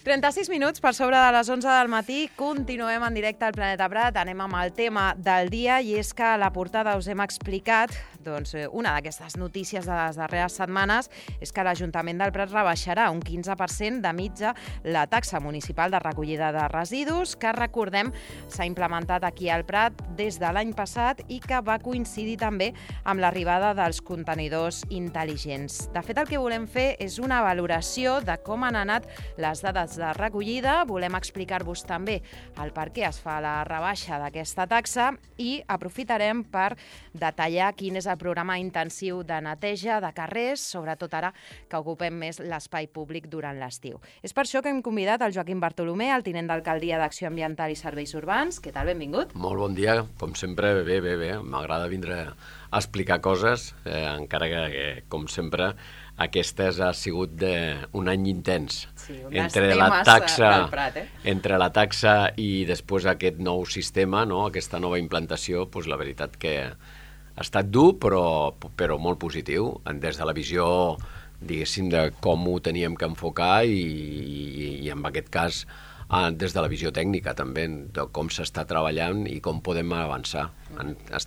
36 minuts per sobre de les 11 del matí. Continuem en directe al Planeta Prat. Anem amb el tema del dia i és que a la portada us hem explicat una d'aquestes notícies de les darreres setmanes és que l'Ajuntament del Prat rebaixarà un 15% de mitja la taxa municipal de recollida de residus que, recordem, s'ha implementat aquí al Prat des de l'any passat i que va coincidir també amb l'arribada dels contenidors intel·ligents. De fet, el que volem fer és una valoració de com han anat les dades de recollida. Volem explicar-vos també el per què es fa la rebaixa d'aquesta taxa i aprofitarem per detallar quin és el programa intensiu de neteja de carrers, sobretot ara que ocupem més l'espai públic durant l'estiu. És per això que hem convidat el Joaquim Bartolomé, el tinent d'alcaldia d'Acció Ambiental i Serveis Urbans. Què tal? Benvingut. Molt bon dia. Com sempre, bé. M'agrada vindre a explicar coses, encara que, com sempre, aquestes ha sigut un any intens. Sí, entre la taxa i després aquest nou sistema, no? Aquesta nova implantació, doncs la veritat que ha estat dur, però molt positiu, des de la visió, diguéssim, de com ho teníem que enfocar i en aquest cas des de la visió tècnica també, de com s'està treballant i com podem avançar.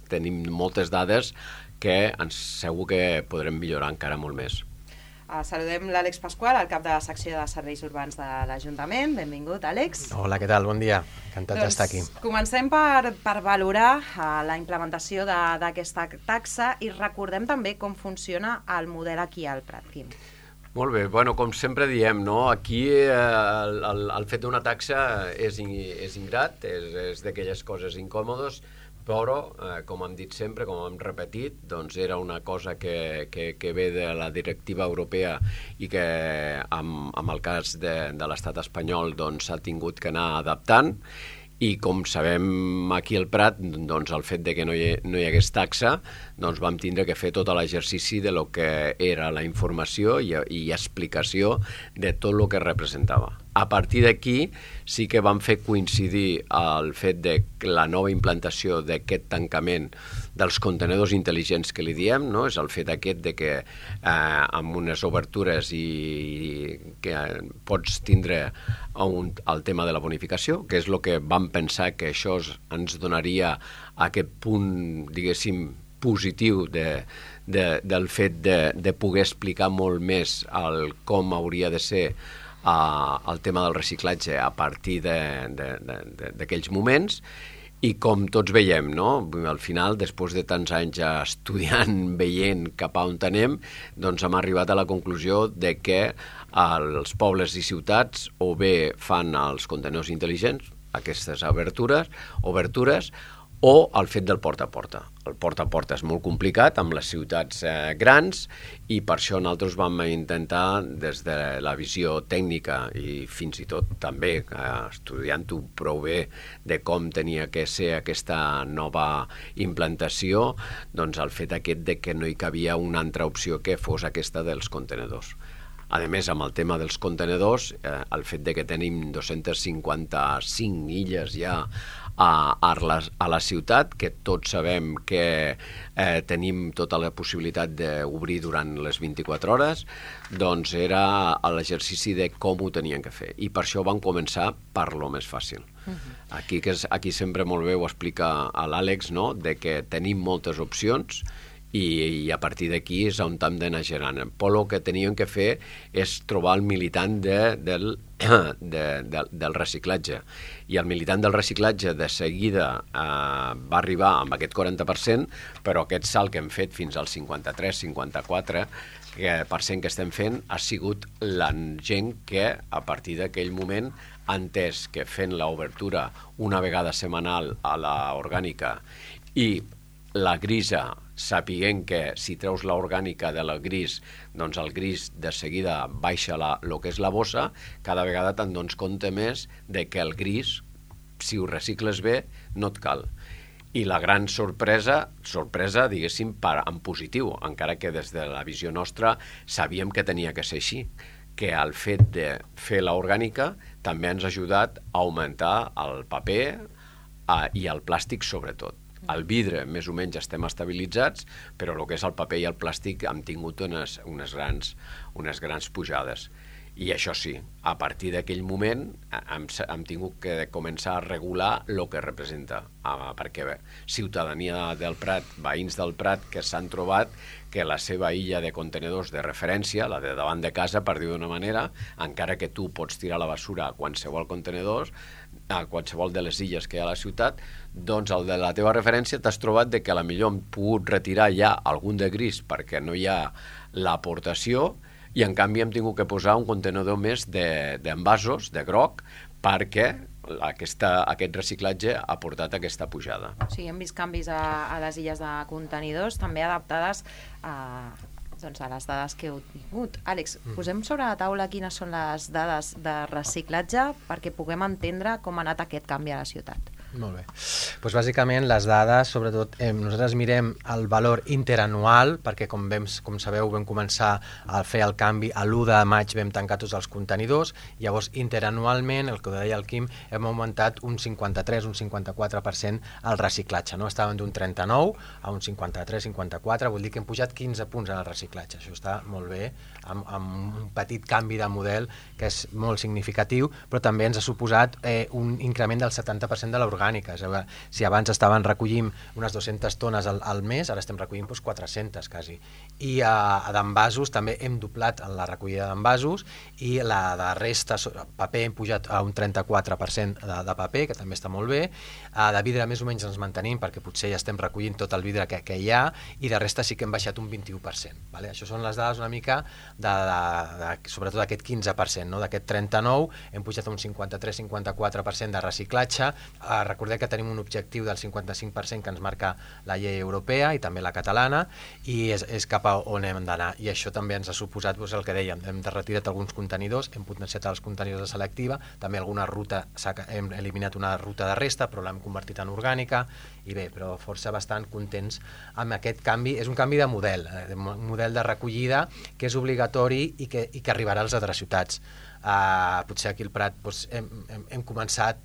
Tenim moltes dades que segur que podrem millorar encara molt més. Saludem l'Àlex Pasqual, el cap de la secció de Serveis Urbans de l'Ajuntament. Benvingut, Àlex. Hola, què tal? Bon dia. Encantat d'estar aquí. Comencem per valorar la implementació d'aquesta taxa i recordem també com funciona el model aquí al Prat. Quim. Molt bé, com sempre diem, no? Aquí el fet d'una taxa és ingrat, és d'aquelles coses incòmodes, però, com hem dit sempre, com hem repetit, doncs era una cosa que ve de la directiva europea i que en el cas de l'estat espanyol s'ha tingut que anar adaptant. I com sabem aquí al Prat, doncs el fet de que no hi hagués taxa, doncs vam tindre que fer tot l'exercici de lo que era la informació i explicació de tot el que representava. A partir d'aquí sí que vam fer coincidir el fet de la nova implantació d'aquest tancament dels contenidors intel·ligents que li diem, no? És el fet aquest de que amb unes obertures i que pots tindre el tema de la bonificació, que és el que vam pensar que això ens donaria aquest punt, diguéssim, positiu del fet de poder explicar molt més com hauria de ser el tema del reciclatge a partir d'aquells moments. I com tots veiem, no? Al final, després de tants anys estudiant, veient cap a on anem, doncs hem arribat a la conclusió de que els pobles i ciutats o bé fan els contenidors intel·ligents, aquestes obertures, o el fet del porta a porta. El porta a porta és molt complicat amb les ciutats grans i per això nosaltres vam intentar, des de la visió tècnica i fins i tot també estudiant-ho prou bé de com tenia que ser aquesta nova implantació, doncs el fet aquest de que no hi cabia una altra opció que fos aquesta dels contenidors. A més, amb el tema dels contenidors, el fet de que tenim 255 illes ja a la ciutat, que tots sabem que tenim tota la possibilitat d'obrir durant les 24 hores, doncs era l'exercici de com ho tenien que fer. I per això vam començar per lo més fàcil. Aquí sempre molt bé ho explica l'Àlex, no? De que tenim moltes opcions i a partir d'aquí és on hem d'anar generant. Però el que teníem que fer és trobar el militant del reciclatge. I el militant del reciclatge de seguida va arribar amb aquest 40%, però aquest salt que hem fet fins al 53-54% que estem fent ha sigut la gent que a partir d'aquell moment ha entès que fent l'obertura una vegada setmanal a l'orgànica i la grisa, sapiguent que si treus l'orgànica de la gris, doncs el gris de seguida baixa el que és la bossa, cada vegada te'n dones compte més de que el gris, si ho recicles bé, no et cal. I la gran sorpresa, diguéssim, en positiu, encara que des de la visió nostra sabíem que tenia que ser així, que el fet de fer l'orgànica també ens ha ajudat a augmentar el paper i el plàstic sobretot. El vidre, més o menys, estem estabilitzats, però el que és el paper i el plàstic hem tingut unes grans pujades. I això sí, a partir d'aquell moment hem tingut que començar a regular el que representa, perquè ciutadania del Prat, veïns del Prat, que s'han trobat que la seva illa de contenedors de referència, la de davant de casa, per dir d'una manera, encara que tu pots tirar la basura a qualsevol contenedor, a qualsevol de les illes que hi ha a la ciutat, doncs el de la teva referència t'has trobat de que a la millor hem pogut retirar ja algun de gris perquè no hi ha l'aportació, i en canvi hem tingut que posar un contenidor més d'envasos, de groc, perquè aquest reciclatge ha portat aquesta pujada. Sí, hem vist canvis a les illes de contenidors, també adaptades a les dades que heu tingut. Àlex, posem sobre la taula quines són les dades de reciclatge perquè puguem entendre com ha anat aquest canvi a la ciutat. Molt bé. Doncs bàsicament les dades, sobretot, nosaltres mirem el valor interanual, perquè com sabeu vam començar a fer el canvi a l'1 de maig, vam tancar tots els contenidors, llavors interanualment, el que deia el Quim, hem augmentat un 53, un 54% el reciclatge, no? Estàvem d'un 39 a un 53, 54, vol dir que hem pujat 15 punts en el reciclatge, això està molt bé, amb un petit canvi de model que és molt significatiu, però també ens ha suposat un increment del 70% de l'orgànica. Si abans estaven recollint unes 200 tones al mes, ara estem recollint 400 quasi. I d'envasos també hem doblat la recollida d'envasos i la de resta, paper, hem pujat a un 34% de paper, que també està molt bé. De vidre més o menys ens mantenim perquè potser ja estem recollint tot el vidre que hi ha, i de resta sí que hem baixat un 21%. Vale? Això són les dades una mica sobretot d'aquest 15%, no? D'aquest 39 hem pujat a un 53-54% de reciclatge. Recordeu que tenim un objectiu del 55% que ens marca la llei europea i també la catalana, i és cap a on hem d'anar, i això també ens ha suposat el que dèiem, hem retirat alguns contenidors, hem potenciat els contenidors de selectiva, també alguna ruta, hem eliminat una ruta de resta però l'hem convertit en orgànica, i bé, però força bastant contents amb aquest canvi. És un canvi de model de recollida que és obligatori i que arribarà a les altres ciutats. Potser aquí al Prat hem començat,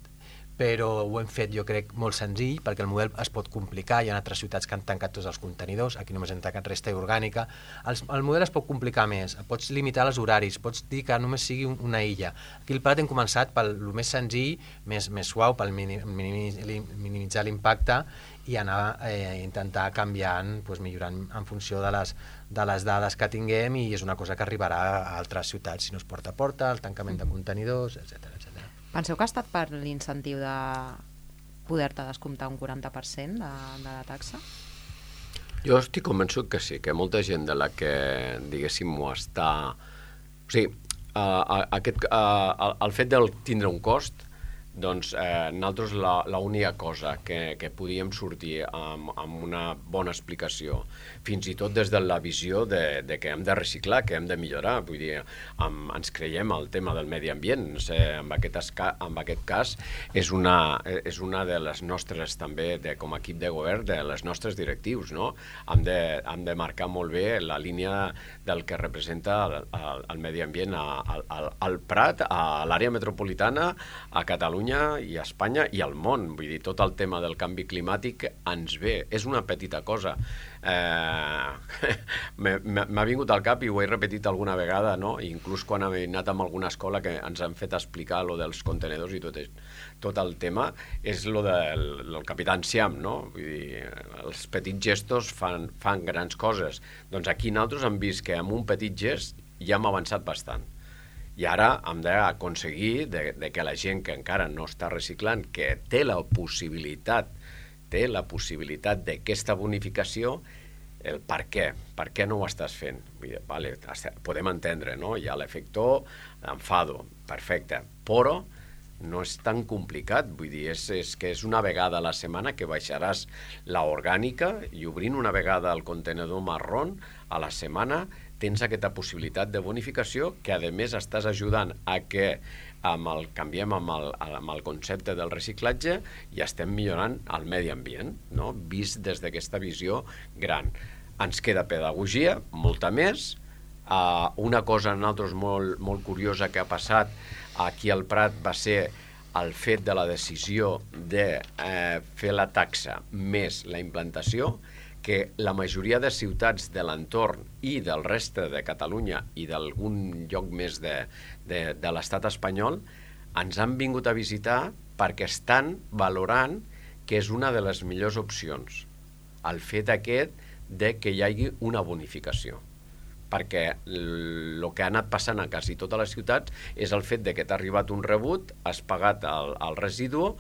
però ho hem fet, jo crec, molt senzill, perquè el model es pot complicar, hi ha altres ciutats que han tancat tots els contenidors, aquí només hem tancat resta i orgànica. El model es pot complicar més, pots limitar els horaris, pots dir que només sigui una illa. Aquí al Prat hem començat pel més senzill, més suau, per minimitzar l'impacte i anar intentar canviant, millorant en funció de les dades que tinguem, i és una cosa que arribarà a altres ciutats, si no és porta a porta, el tancament de contenidors, etc. Penseu que ha estat per l'incentiu de poder-te descomptar un 40% de la taxa? Jo estic convençut que sí, que molta gent de la que, diguéssim, ho està... O sigui, el fet de tindre un cost, doncs nosaltres l'única cosa que podíem sortir amb una bona explicació, fins i tot des de la visió de que hem de reciclar, que hem de millorar, vull dir, ens creiem el tema del medi ambient, no sé, en aquest cas és una de les nostres també, com a equip de govern, de les nostres directius, no? Hem de marcar molt bé la línia del que representa el medi ambient al Prat, a l'àrea metropolitana, a Catalunya i a Espanya i al món. Vull dir, tot el tema del canvi climàtic ens ve. És una petita cosa. M'ha vingut al cap i ho he repetit alguna vegada, no? Inclús quan he anat a alguna escola que ens han fet explicar lo dels contenedors i tot el tema, és lo del Capità Enciam, no? Vull dir, els petits gestos fan grans coses. Doncs aquí nosaltres hem vist que amb un petit gest ja hem avançat bastant. I ara hem d'aconseguir que la gent que encara no està reciclant, que té la possibilitat d'aquesta bonificació, el per què no ho estàs fent? Vull dir, vale, podem entendre, no? Hi ha l'efector d'enfado, perfecte, però no és tan complicat, vull dir, és que és una vegada a la setmana que baixaràs la orgànica i obrint una vegada el contenedor marró a la setmana tens aquesta possibilitat de bonificació que, a més, estàs ajudant a que canviem amb el concepte del reciclatge i estem millorant el medi ambient, no? Vist des d'aquesta visió gran. Ens queda pedagogia, molta més. Una cosa nosaltres molt curiosa que ha passat aquí al Prat va ser el fet de la decisió de fer la taxa més la implantació, que la majoria de ciutats de l'entorn i del reste de Catalunya i d'algun lloc més de l'estat espanyol ens han vingut a visitar perquè estan valorant que és una de les millors opcions el fet aquest de que hi hagi una bonificació. Perquè el que ha anat passant a quasi totes les ciutats és el fet de que t'ha arribat un rebut, has pagat el residu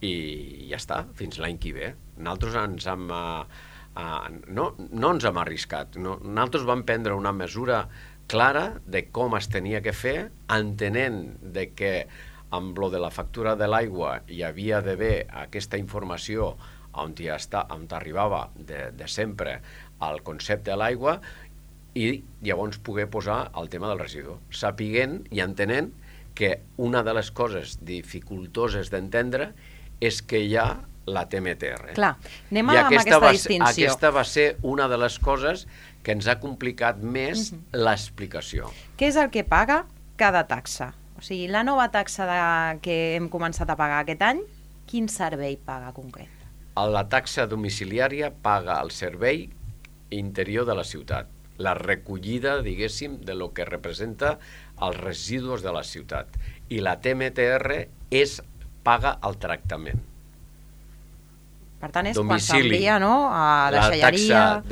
i ja està, fins l'any que ve. Nosaltres ens hem... no ens hem arriscat. Nosaltres vam prendre una mesura clara de com es tenia que fer, entenent de que amb lo de la factura de l'aigua hi havia d'haver aquesta informació on arribava de sempre el concepte de l'aigua i llavors poder posar el tema del residu, sapiguent i entenent que una de les coses dificultoses d'entendre és que hi ha la TMTR. Clar, anem amb aquesta distinció. Aquesta va ser una de les coses que ens ha complicat més l'explicació. Què és el que paga cada taxa? O sigui, la nova taxa que hem començat a pagar aquest any, quin servei paga concret? La taxa domiciliària paga el servei interior de la ciutat, la recollida, diguéssim, de lo que representa els residus de la ciutat. I la TMTR paga el tractament. Per tant, és quan s'envia, no?, a deixalleria... La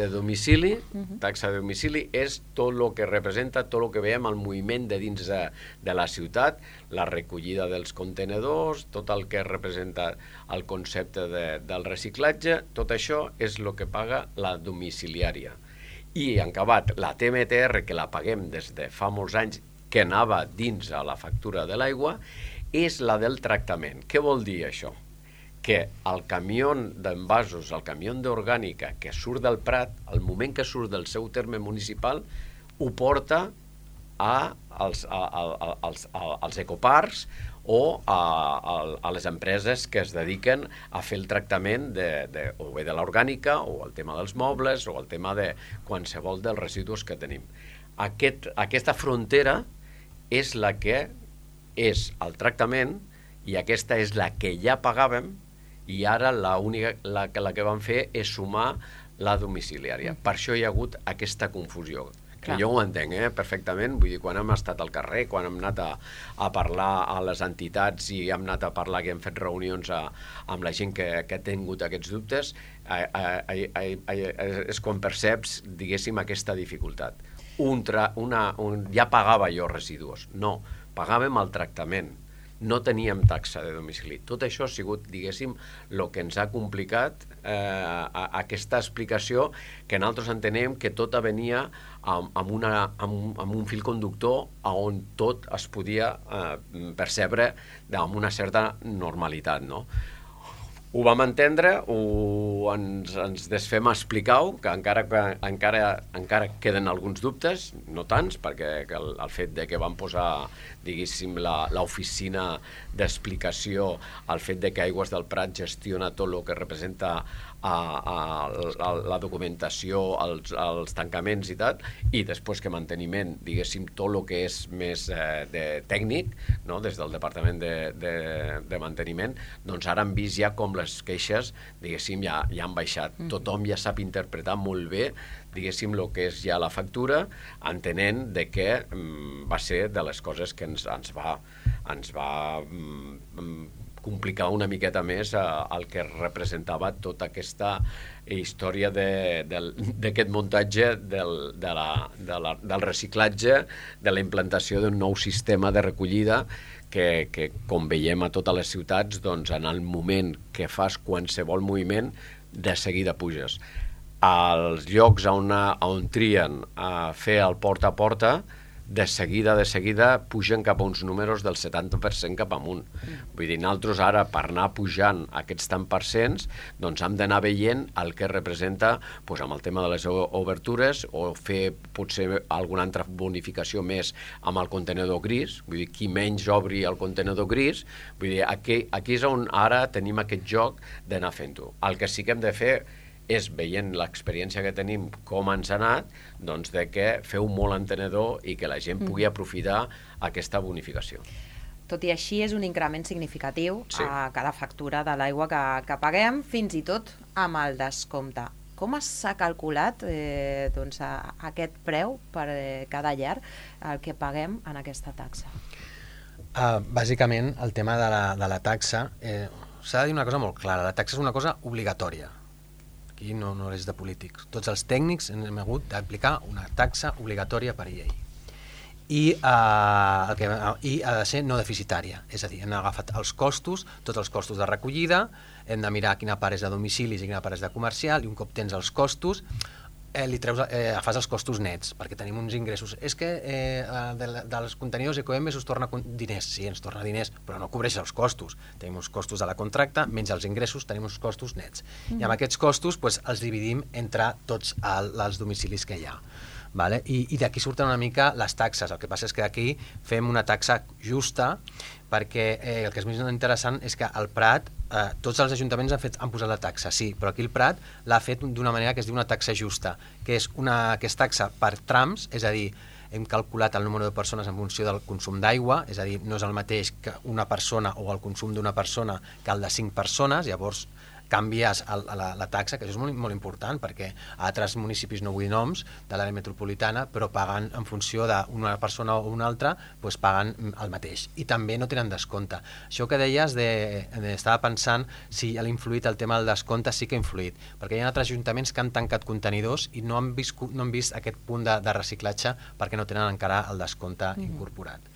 taxa de domicili és tot el que representa, tot el que veiem, el moviment de dins de la ciutat, la recollida dels contenedors, tot el que representa el concepte del reciclatge, tot això és el que paga la domiciliària. I, en acabat, la TMTR, que la paguem des de fa molts anys, que anava dins a la factura de l'aigua, és la del tractament. Què vol dir això? Que el camió d'envasos, el camió d'orgànica que surt del Prat, al moment que surt del seu terme municipal, ho porta als ecoparcs o a les empreses que es dediquen a fer el tractament o bé de l'orgànica o el tema dels mobles o el tema de qualsevol dels residus que tenim. Aquesta frontera és la que és el tractament i aquesta és la que ja pagàvem i ara la que vam fer és sumar la domiciliària. Per això hi ha hagut aquesta confusió. Que jo ho entenc perfectament, vull dir, quan hem estat al carrer, quan hem anat a parlar a les entitats i hem anat a parlar, que hem fet reunions amb la gent que ha tingut aquests dubtes, és quan perceps, diguéssim, aquesta dificultat. Ja pagava jo residus, no, pagàvem el tractament, no teníem taxa de domicili. Tot això ha sigut, diguéssim, el que ens ha complicat aquesta explicació que nosaltres entenem que tot venia amb un fil conductor on tot es podia percebre amb una certa normalitat, no? Ho vam entendre, ens desfem a explicar-ho, que encara queden alguns dubtes, no tants, perquè el fet de que vam posar, diguéssim, l'oficina d'explicació, el fet de que Aigües del Prat gestiona tot el que representa la documentació, els tancaments i tal, i després que manteniment, diguéssim, tot el que és més tècnic, des del Departament de Manteniment, doncs ara hem vist ja com les queixes, diguéssim, ja han baixat. Tothom ja sap interpretar molt bé, diguéssim, el que és ja la factura, entenent de que va ser de les coses que ens va complicar una miqueta més el que representava tota aquesta història d'aquest muntatge del reciclatge, de la implantació d'un nou sistema de recollida que com veiem a totes les ciutats, doncs en el moment que fas qualsevol moviment, de seguida puges. Als llocs on trien a fer el porta a porta, de seguida pugen cap a uns números del 70% cap amunt. Vull dir, nosaltres ara, per anar pujant aquests tant percents, doncs hem d'anar veient el que representa amb el tema de les obertures o fer potser alguna altra bonificació més amb el contenedor gris, vull dir, qui menys obri el contenedor gris, vull dir, aquí és on ara tenim aquest joc d'anar fent-ho. El que sí que hem de fer és, veient l'experiència que tenim, com ens ha anat, doncs de que feu molt entenedor i que la gent pugui aprofitar aquesta bonificació. Tot i així, és un increment significatiu a cada factura de l'aigua que paguem, fins i tot amb el descompte. Com s'ha calculat aquest preu per cada llar, el que paguem en aquesta taxa? Bàsicament, el tema de la taxa, s'ha de dir una cosa molt clara, la taxa és una cosa obligatòria. Aquí no és de polítics. Tots els tècnics hem hagut d'aplicar una taxa obligatòria per llei. I ha de ser no deficitària, és a dir, hem agafat els costos, tots els costos de recollida, hem de mirar quina part és de domicilis i quina part és de comercial, i un cop tens els costos, fas els costos nets, perquè tenim uns ingressos. És que dels contenidors Ecoembes us torna diners. Sí, ens torna diners, però no cobreix els costos. Tenim uns costos de la contracta, menys els ingressos, tenim uns costos nets. I amb aquests costos els dividim entre tots els domicilis que hi ha. Vale? I d'aquí surten una mica les taxes. El que passa és que aquí fem una taxa justa, perquè el que és més interessant és que al Prat tots els ajuntaments han posat la taxa, sí, però aquí el Prat l'ha fet d'una manera que es diu una taxa justa, que és taxa per trams, és a dir, hem calculat el número de persones en funció del consum d'aigua, és a dir, no és el mateix que una persona o el consum d'una persona que el de 5 persones, llavors canvies la taxa, que això és molt, molt important, perquè a altres municipis, no vull noms, de l'àrea metropolitana, però paguen en funció d'una persona o una altra, doncs paguen el mateix. I també no tenen descompte. Això que deies, estava pensant si ha influït el tema del descompte, sí que ha influït, perquè hi ha altres ajuntaments que han tancat contenidors i no han vist aquest punt de reciclatge perquè no tenen encara el descompte incorporat.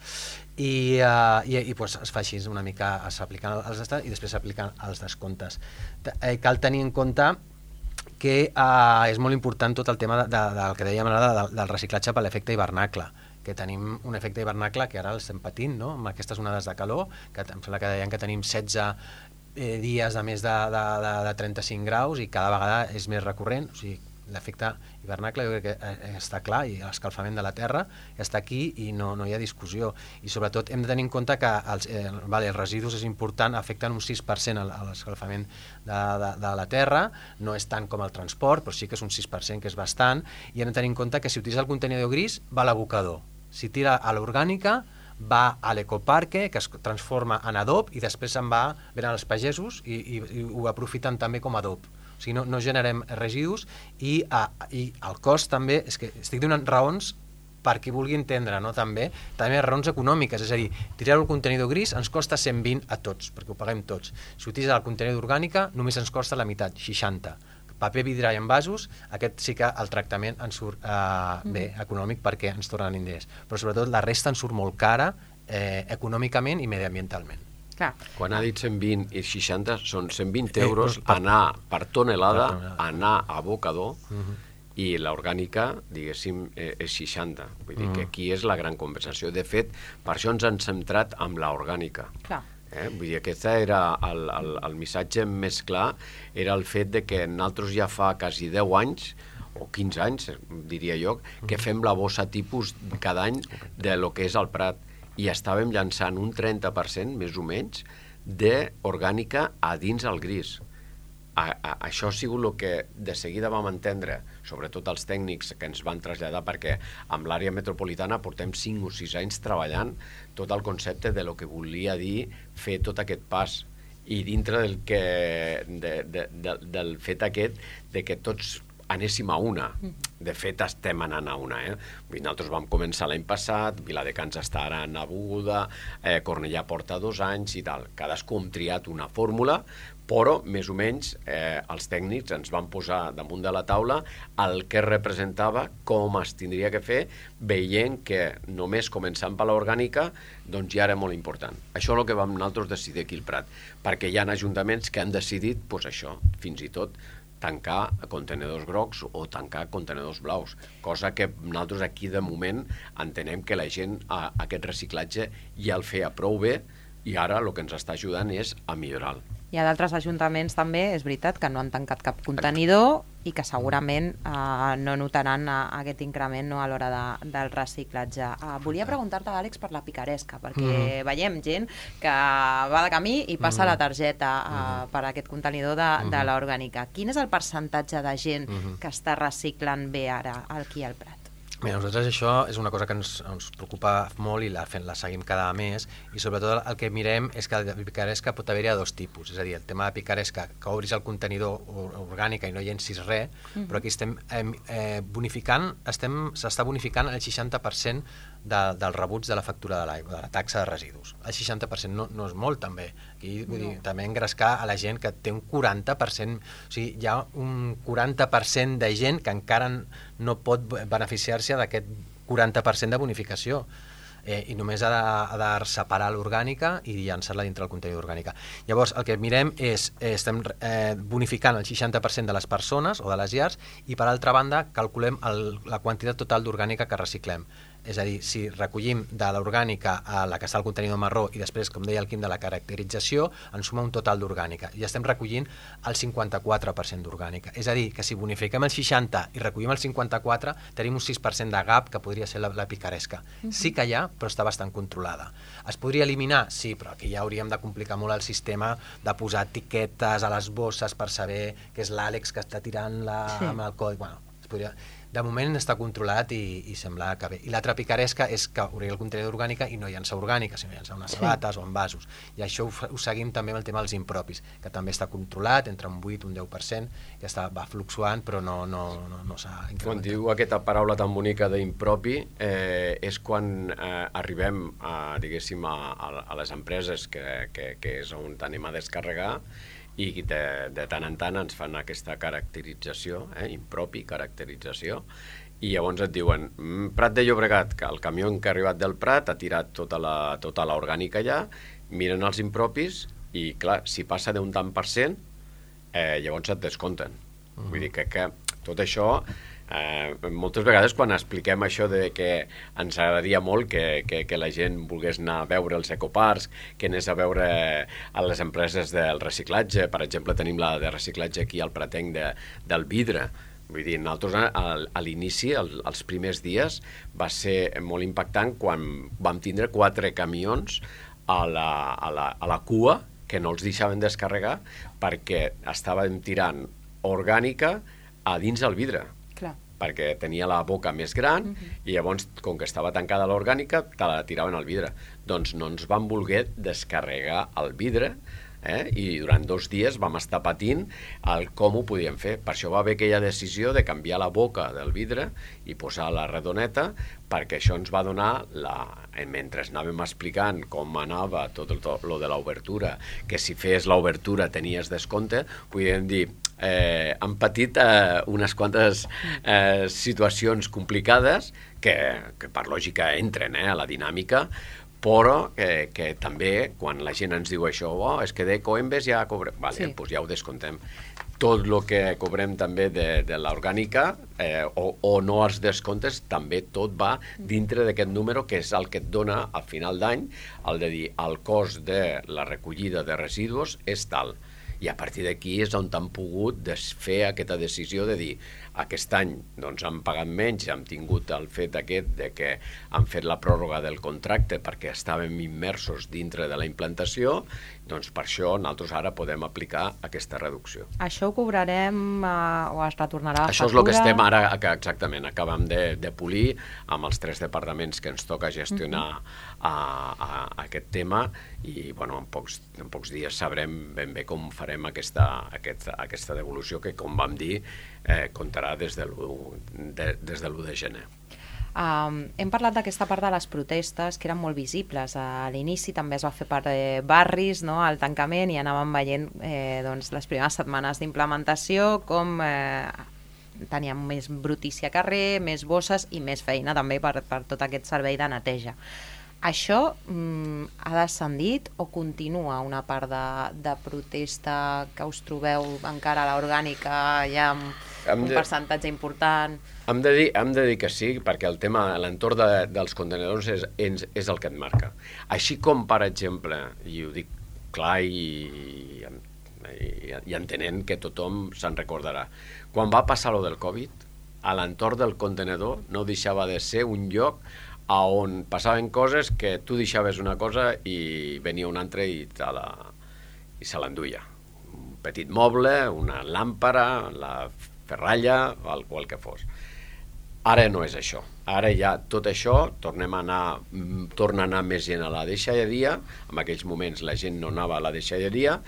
I es fa així una mica, s'apliquen els estats i després s'apliquen els descomptes. Cal tenir en compte que és molt important tot el tema del que dèiem ara del reciclatge per l'efecte hivernacle, que tenim un efecte hivernacle que ara l'estem patint, no? Amb aquestes onades de calor, que em sembla que deien que tenim 16 dies de més de 35 graus i cada vegada és més recurrent, o sigui, l'efecte hivernacle jo crec que està clar, i l'escalfament de la Terra està aquí i no hi ha discussió. I sobretot hem de tenir en compte que els residus és important, afecten un 6% a l'escalfament de la Terra, no és tant com el transport, però sí que és un 6%, que és bastant, i hem de tenir en compte que si utilitza el contenidor gris va a l'abocador, si tira a l'orgànica va a l'ecoparque, que es transforma en adob i després venen els pagesos i ho aprofiten també com a adob. O sigui, no generem residus i el cost també, és que estic donant raons perquè vulgui entendre, no? També raons econòmiques, és a dir, tirar el contenidor gris ens costa 120 a tots, perquè ho paguem tots. Si utilitza el contenidor orgànica només ens costa la meitat, 60. Paper, vidre i envasos, aquest sí que el tractament ens surt bé, econòmic, perquè ens tornen diners. Però sobretot la resta ens surt molt cara econòmicament i mediambientalment. Clar. Quan ha dit 120 i 60 són 120 euros anar per tonelada, anar a abocador, i l'orgànica, diguéssim, és 60. Vull dir que aquí és la gran compensació. De fet, per això ens hem centrat amb l'orgànica. Clar. Vull dir, aquest era el missatge més clar, era el fet de que nosaltres ja fa quasi 10 anys, o 15 anys, diria jo, que fem la bossa tipus cada any de lo que és el Prat, i estàvem llançant un 30%, més o menys, d'orgànica a dins el gris. Això ha sigut el que de seguida vam entendre, sobretot els tècnics que ens van traslladar, perquè amb l'àrea metropolitana portem 5 o 6 anys treballant tot el concepte de lo que volia dir fer tot aquest pas, i dintre del fet aquest de que tots anéssim a una. De fet, estem anant a una. Nosaltres vam començar l'any passat, Viladecans està ara en aguda, Cornellà porta 2 anys i tal. Cadascú hem triat una fórmula, però més o menys els tècnics ens van posar damunt de la taula el que representava, com es tindria que fer, veient que només començant per l'orgànica doncs ja era molt important. Això és el que vam nosaltres decidir aquí al Prat, perquè hi ha ajuntaments que han decidit això, fins i tot tancar contenedors grocs o tancar contenedors blaus, cosa que nosaltres aquí de moment entenem que la gent aquest reciclatge ja el feia prou bé i ara el que ens està ajudant és a millorar-lo. Hi ha d'altres ajuntaments també, és veritat, que no han tancat cap contenidor i que segurament no notaran aquest increment a l'hora del reciclatge. Volia preguntar-te, Àlex, per la picaresca, perquè veiem gent que va de camí i passa la targeta per aquest contenidor de l'orgànica. Quin és el percentatge de gent que està reciclant bé ara aquí al Prat? Bé, nosaltres això és una cosa que ens preocupa molt i la seguim cada mes, i sobretot el que mirem és que la picaresca pot haver-hi a dos tipus, és a dir, el tema de picaresca, que obris el contenidor orgànica i no llencis res, però aquí estem bonificant, s'està bonificant el 60% del rebuig de la factura de l'aigua, de la taxa de residus. El 60% no és molt, també. Aquí, vull dir, també engrescar a la gent que té un 40%, o sigui, hi ha un 40% de gent que encara no pot beneficiar-se d'aquest 40% de bonificació. I només ha de separar l'orgànica i llançar-la dintre del contenidor orgànica. Llavors, el que mirem és, estem bonificant el 60% de les persones o de les llars, i per altra banda calculem la quantitat total d'orgànica que reciclem. És a dir, si recollim de l'orgànica a la que està al contenidor marró i després, com deia el Quim, de la caracterització, ens suma un total d'orgànica. I estem recollint el 54% d'orgànica. És a dir, que si bonifiquem el 60% i recollim el 54%, tenim un 6% de gap, que podria ser la picaresca. Sí que hi ha, però està bastant controlada. Es podria eliminar? Sí, però aquí ja hauríem de complicar molt el sistema de posar etiquetes a les bosses per saber que és l'Àlex que està tirant-la amb el codi. Bueno, es podria... De moment està controlat i sembla que bé. I l'altra picaresca és que obrir el contenidor orgànica i no llançar orgànica, sinó llançar unes sabates o envasos. I això ho seguim també amb el tema dels impropis, que també està controlat entre un 8 i un 10%, que va fluctuant, però no s'ha incrementat. Quan diu aquesta paraula tan bonica d'impropi, és quan arribem diguéssim, a les empreses que és on anem a descarregar, i de tant en tant ens fan aquesta caracterització, impropi, caracterització, i llavors et diuen Prat de Llobregat, que el camió que ha arribat del Prat ha tirat tota l'orgànica allà, miren els impropis i, clar, si passa d'un tant per cent, llavors et descompten. Vull dir que tot això... moltes vegades quan expliquem això de que ens agradaria molt que la gent volgués anar a veure els ecoparcs, que anés a veure a les empreses del reciclatge, per exemple tenim la de reciclatge aquí al Pratenc del vidre. Vull dir, nosaltres a l'inici, els primers dies, va ser molt impactant quan vam tindre 4 camions a la cua que no els deixaven descarregar perquè estàvem tirant orgànica a dins el vidre. Perquè tenia la boca més gran i llavors, com que estava tancada l'orgànica, te la tiraven al vidre. Doncs no ens van voler descarregar el vidre, i durant 2 dies vam estar patint com ho podíem fer. Per això va haver aquella decisió de canviar la boca del vidre i posar la redoneta, perquè això ens va donar, mentre anàvem explicant com anava tot lo de l'obertura, que si fes l'obertura tenies descompte, podíem dir, han patit unes quantes situacions complicades que per lògica entren a la dinàmica, però que també quan la gent ens diu això, és que de Coembes ja cobrem, doncs ja ho descontem. Tot el que cobrem també de l'orgànica o no els descomptes, també tot va dintre d'aquest número, que és el que et dona al final d'any, el de dir el cost de la recollida de residus és tal. I a partir d'aquí és on han pogut fer aquesta decisió de dir aquest any doncs, han pagat menys, hem tingut el fet aquest de que han fet la pròrroga del contracte perquè estàvem immersos dintre de la implantació, doncs per això nosaltres ara podem aplicar aquesta reducció. Això ho cobrarem o es retornarà a factura? Això és el que estem ara, exactament, acabem de polir amb els 3 departaments que ens toca gestionar aquest tema i bueno, en pocs dies sabrem ben bé com farem aquesta devolució que, com vam dir, comptarà des de l'1 de gener. Hem parlat d'aquesta part de les protestes que eren molt visibles. A l'inici també es va fer per barris, no?, al tancament, i anàvem veient doncs, les primeres setmanes d'implementació com teníem més brutícia a carrer, més bosses i més feina també per tot aquest servei de neteja. Això ha descendit o continua una part de protesta que us trobeu encara a l'orgànica ja amb un percentatge important? Hem de dir que sí, perquè el tema, l'entorn dels contenidors és el que et marca. Així com, per exemple, i ho dic clar i entenent que tothom se'n recordarà, quan va passar lo del Covid, a l'entorn del contenidor no deixava de ser un lloc on passaven coses que tu deixaves una cosa i venia un altre i se l'enduia. Un petit moble, una làmpara, la ferralla o el que fos. Ara no és això. Ara ja tot això torna a anar més gent a la deixalleria. En aquells moments la gent no anava a la deixalleria,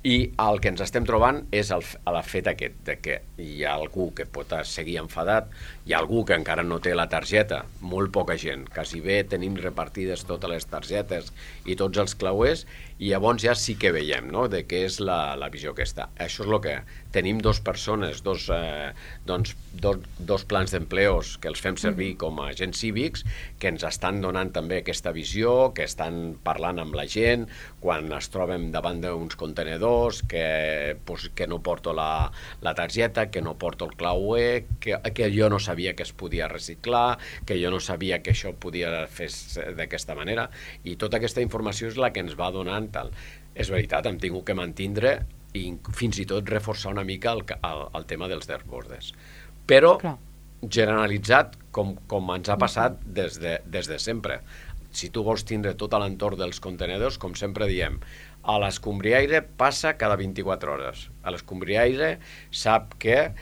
i el que ens estem trobant és el fet aquest, de que hi ha algú que pot seguir enfadat, hi ha algú que encara no té la targeta, molt poca gent, quasi bé tenim repartides totes les targetes i tots els clauers, i llavors ja sí que veiem, no?, de què és la visió aquesta. Això és el que tenim, dos persones, dos plans d'empleos que els fem servir com a agents cívics, que ens estan donant també aquesta visió, que estan parlant amb la gent quan es troben davant d'uns contenedors, que no porto la targeta, que no porto el clauer, que jo no sabia que es podia reciclar, que jo no sabia que això podia fer d'aquesta manera, i tota aquesta informació és la que ens va donant tal. És veritat, hem tingut que mantindre i fins i tot reforçar una mica el tema dels dashboards. Però generalitzat, com ens ha passat des de sempre. Si tu vols tindre tot l'entorn dels contenedors, com sempre diem, a l'escombriaire passa cada 24 hores. A l'escombriaire sap que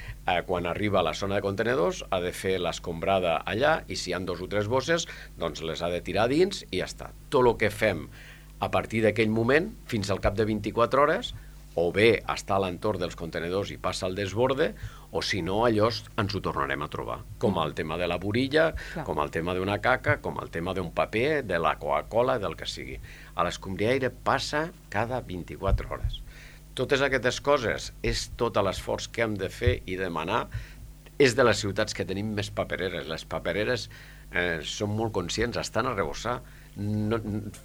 quan arriba a la zona de contenedors ha de fer l'escombrada allà, i si hi ha 2 o 3 bosses, doncs les ha de tirar dins i ja està. Tot el que fem a partir d'aquell moment, fins al cap de 24 hores, o bé està a l'entorn dels contenedors i passa al desborde, o si no, allò ens ho tornarem a trobar. Com el tema de la burilla, com el tema d'una caca, com el tema d'un paper, de la Coca-Cola, del que sigui. A l'escombriaire passa cada 24 hores. Totes aquestes coses és tot l'esforç que hem de fer i demanar. És de les ciutats que tenim més papereres. Les papereres són molt conscients, estan a rebossar.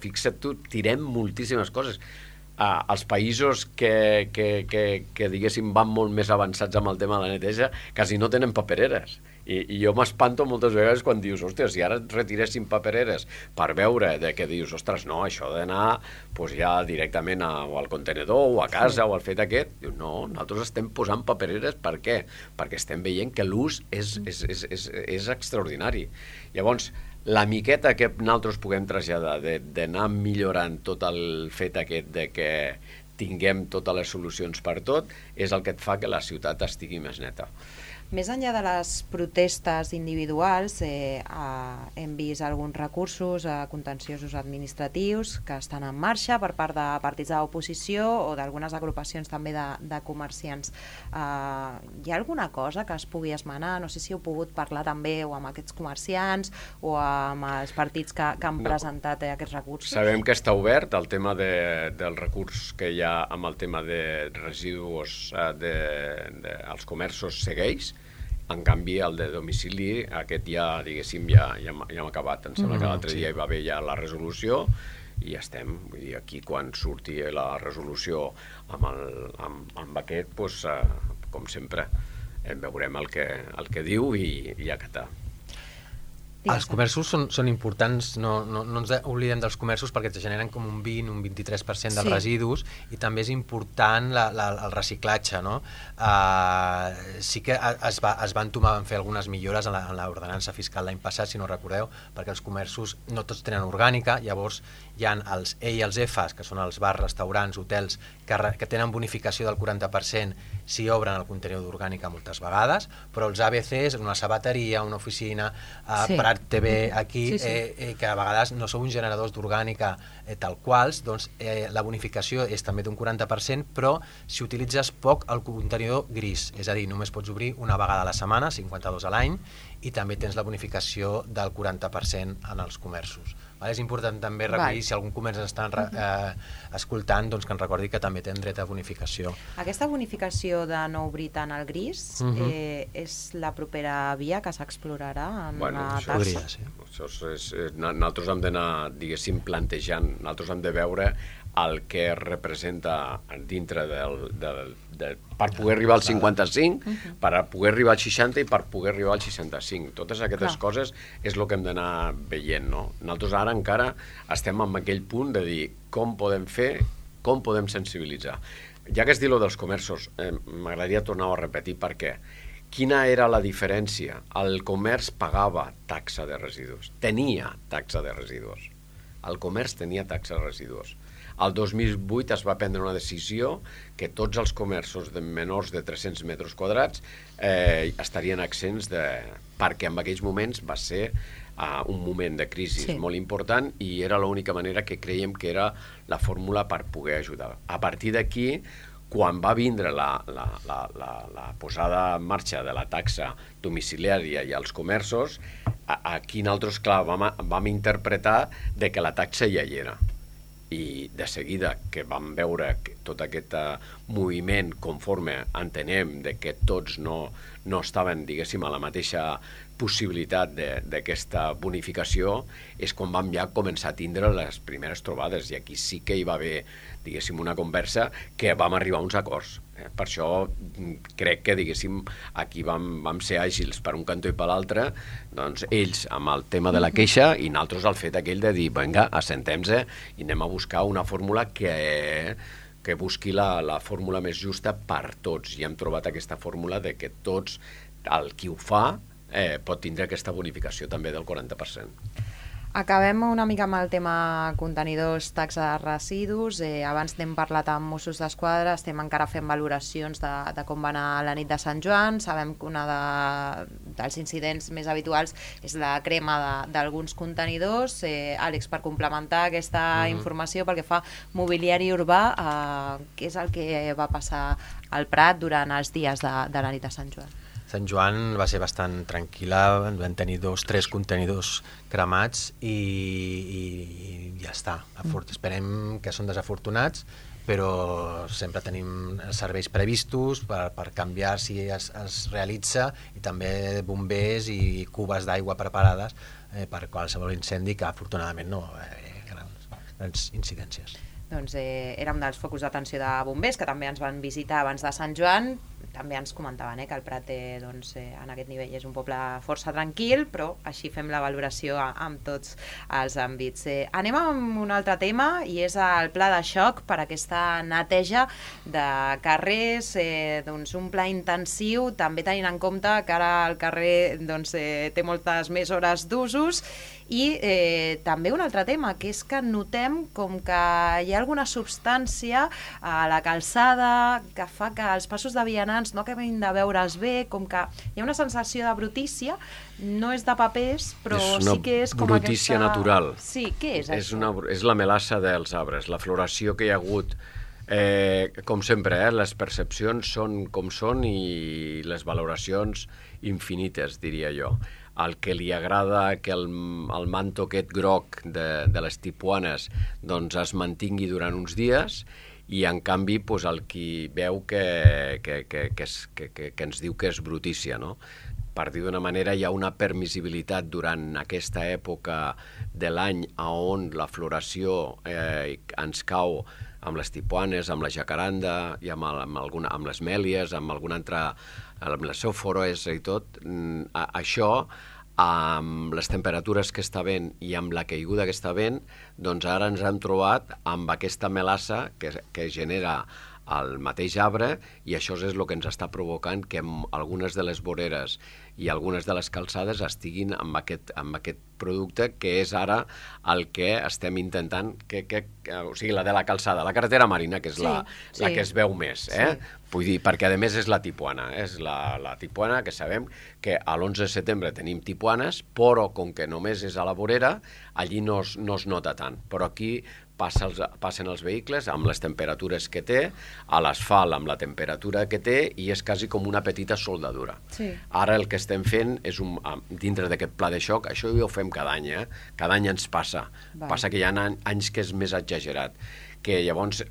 Fixa't tu, tirem moltíssimes coses. Els països que diguéssim van molt més avançats amb el tema de la neteja quasi no tenen papereres, i jo m'espanto moltes vegades quan dius, hòstia, si ara retiréssim papereres per veure de què dius, ostres, no, això ha d'anar ja directament o al contenedor o a casa o al fet aquest. Dius, no, nosaltres estem posant papereres. Per què? Perquè estem veient que l'ús és extraordinari. Llavors, la miqueta que nosaltres puguem traslladar d'anar millorant tot el fet aquest de que tinguem totes les solucions per tot és el que et fa que la ciutat estigui més neta. Més enllà de les protestes individuals, hem vist alguns recursos contenciosos administratius que estan en marxa per part de partits de l'oposició o d'algunes agrupacions també de comerciants. Hi ha alguna cosa que es pugui esmenar? No sé si heu pogut parlar també o amb aquests comerciants o amb els partits que han presentat aquests recursos. Sabem que està obert el tema del recurs que hi ha amb el tema de residus als comerços segueix. En canvi, el de domicili, aquest ja, diguéssim, ja hem acabat. Em sembla que l'altre dia hi va haver ja la resolució i ja estem. Vull dir, aquí quan surti la resolució amb aquest, doncs, com sempre, veurem el que diu i acatar. Els comerços són importants, no ens oblidem dels comerços perquè es generen com un 20, un 23% dels residus, i també és important el reciclatge, no? Sí que es va entomar a fer algunes millores en l'ordenança fiscal l'any passat, si no recordeu, perquè els comerços no tots tenen orgànica, llavors hi ha els E i els Fs, que són els bars, restaurants, hotels, que tenen bonificació del 40% si obren el contenidor d'orgànica moltes vegades, però els ABCs, una sabateria, una oficina, Prat TV aquí, que a vegades no són uns generadors d'orgànica tal quals, doncs la bonificació és també d'un 40%, però si utilitzes poc el contenidor gris, és a dir, només pots obrir una vegada a la setmana, 52 a l'any, i també tens la bonificació del 40% en els comerços. És important també recollir, si algun comerç ens estan escoltant, doncs que ens recordi que també tenen dret a bonificació. Aquesta bonificació de no obrir tant el gris és la propera via que s'explorarà en la taxa? Nosaltres hem d'anar, diguéssim, plantejant, nosaltres hem de veure el que representa dintre per poder arribar al 55, per poder arribar al 60 i per poder arribar al 65. Totes aquestes coses és el que hem d'anar veient, no? Nosaltres ara encara estem en aquell punt de dir com podem fer, com podem sensibilitzar. Ja que es diu dels comerços, m'agradaria tornar a repetir per què. Quina era la diferència? El comerç pagava taxa de residus, tenia taxa de residus. El comerç tenia taxa de residus. Al 2008 es va prendre una decisió que tots els comerços de menors de 300 metres quadrats estarien exempts perquè en aquells moments va ser un moment de crisi molt important i era l'única manera que creiem que era la fórmula per poder ajudar. A partir d'aquí, quan va vindre la posada en marxa de la taxa domiciliària i als comerços, aquí nosaltres, clar, vam interpretar que la taxa ja hi era. I de seguida que vam veure tot aquest moviment conforme entenem que tots no estaven, diguéssim, a la mateixa possibilitat d'aquesta bonificació, és quan vam ja començar a tindre les primeres trobades, i aquí sí que hi va haver, diguéssim, una conversa que vam arribar a uns acords. Per això crec que, diguéssim, aquí vam ser àgils per un cantó i per l'altre, doncs ells amb el tema de la queixa i nosaltres el fet aquell de dir, vinga, assentem-se i anem a buscar una fórmula que busqui la fórmula més justa per tots, i hem trobat aquesta fórmula de que tots, el qui ho fa, pot tindre aquesta bonificació també del 40%. Acabem una mica amb el tema contenidors, taxa de residus. Abans n'hem parlat amb Mossos d'Esquadra, estem encara fent valoracions de com va anar la nit de Sant Joan. Sabem que una dels incidents més habituals és la crema d'alguns contenidors. Àlex, per complementar aquesta informació pel que fa mobiliari urbà, què és el que va passar al Prat durant els dies de la nit de Sant Joan? Sant Joan va ser bastant tranquil·la, vam tenir 2 o 3 contenidors cremats i ja està. Esperem que són desafortunats, però sempre tenim serveis previstos per canviar si es realitza, i també bombers i cubes d'aigua preparades per qualsevol incendi, que afortunadament no grans incidències. Doncs era un dels focus d'atenció de bombers que també ens van visitar abans de Sant Joan. També ens comentaven que el Prat en aquest nivell és un poble força tranquil, però així fem la valoració amb tots els àmbits. Anem amb un altre tema, i és el pla de xoc per aquesta neteja de carrers, un pla intensiu, també tenint en compte que ara el carrer té moltes més hores d'usos. I també un altre tema, que és que notem com que hi ha alguna substància a la calçada que fa que els passos de vianants no acabin de veure's bé, com que hi ha una sensació de brutícia, no és de papers, però sí que és com aquesta... brutícia natural. Sí, què és això? És la melassa dels arbres, la floració que hi ha hagut. Com sempre, les percepcions són com són i les valoracions infinites, diria jo. El que li agrada que el manto aquest groc de les tipuanes es mantingui durant uns dies, i en canvi el qui veu que ens diu que és brutícia, no? Per dir d'una manera, hi ha una permissibilitat durant aquesta època de l'any on la floració ens cau amb les tipuanes, amb la jacaranda i amb les mèlies, amb alguna altra, amb les eufores i tot. Això, amb les temperatures que està havent i amb la caiguda que està havent, doncs ara ens hem trobat amb aquesta melassa que genera el mateix arbre, i això és el que ens està provocant que algunes de les voreres i algunes de les calçades estiguin amb aquest producte, que és ara el que estem intentant, o sigui, la de la calçada, la carretera marina, que és la que es veu més, vull dir, perquè a més és la tipuana, és la tipuana, que sabem que a l'11 de setembre tenim tipuanes, però com que només és a la vorera, allí no es nota tant, però aquí passen els vehicles amb les temperatures que té, a l'asfalt amb la temperatura que té, i és quasi com una petita soldadura. Ara el que estem fent és, dintre d'aquest pla de xoc, això ja ho fem cada any, cada any ens passa. Passa que hi ha anys que és més exagerat, que llavors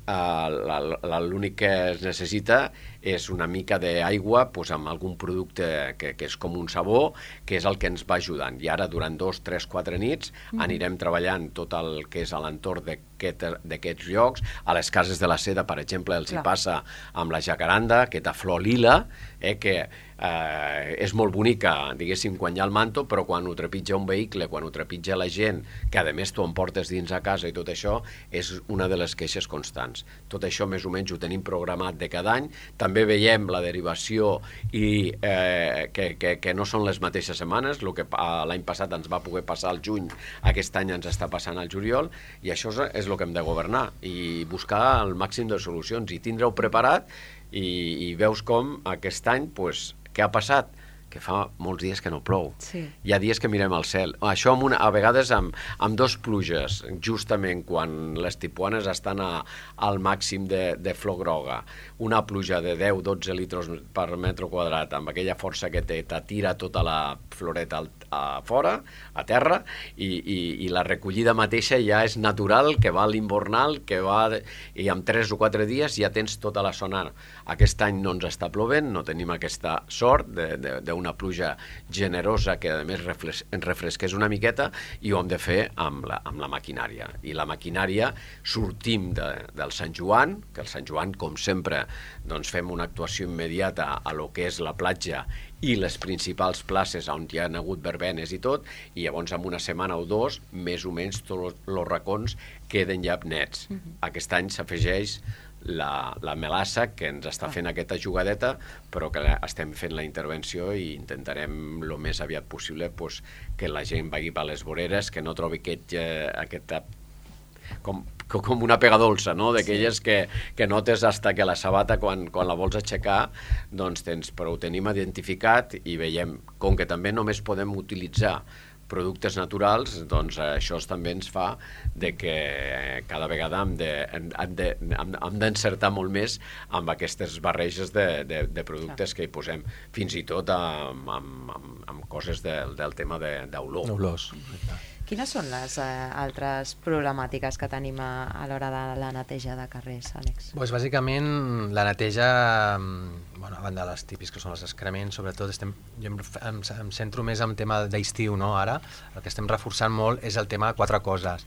l'únic que es necessita és una mica d'aigua amb algun producte que és com un sabó, que és el que ens va ajudant. I ara, durant 2, 3, 4 nits, anirem treballant tot el que és a l'entorn d'aquests llocs. A les cases de la Seda, per exemple, els hi passa amb la jacaranda, aquesta flor lila, que és molt bonica, diguéssim, quan hi ha el manto, però quan ho trepitja un vehicle, quan ho trepitja la gent, que a més tu em portes dins a casa i tot això, és una de les queixes constants. Tot això més o menys ho tenim programat de cada any. També veiem la derivació i que no són les mateixes setmanes. El que l'any passat ens va poder passar al juny, aquest any ens està passant al juliol, i això és el que hem de governar, i buscar el màxim de solucions, i tindre-ho preparat, i veus com aquest any, pues, què ha passat? Que fa molts dies que no plou. Sí. Hi ha dies que mirem al cel. Això a vegades amb dos pluges, justament quan les tipuanes estan al màxim de flor groga, una pluja de 10-12 litres per metre quadrat, amb aquella força que té, t'atira tota la floreta a fora, a terra, i la recollida mateixa ja és natural, que va a l'invernal, i en 3 o 4 dies ja tens tota la zona. Aquest any no ens està plovent, no tenim aquesta sort d'una pluja generosa que a més ens refresqués una miqueta, i ho hem de fer amb la maquinària. I la maquinària sortim del Sant Joan, que el Sant Joan, com sempre, doncs fem una actuació immediata a lo que és la platja i les principals places on hi ha hagut verbenes i tot, i llavors en una setmana o dos, més o menys tots els racons queden ja nets. Aquest any s'afegeix la melassa, que ens està fent aquesta jugadeta, però que estem fent la intervenció i intentarem el més aviat possible que la gent vagi per les voreres, que no trobi aquesta com una pega dolça, no? D'aquelles que notes hasta que la sabata, quan la vols aixecar, doncs però ho tenim identificat, i veiem, com que també només podem utilitzar productes naturals, doncs això també ens fa que cada vegada hem d'encertar molt més amb aquestes barreges de productes que hi posem, fins i tot amb coses del tema d'olor. Olors. Quines són les altres problemàtiques que tenim a l'hora de la neteja de carrers, Àlex? Doncs bàsicament la neteja, a banda de les típics que són els excrements, sobretot jo em centro més en tema d'estiu, no? Ara el que estem reforçant molt és el tema de 4 coses: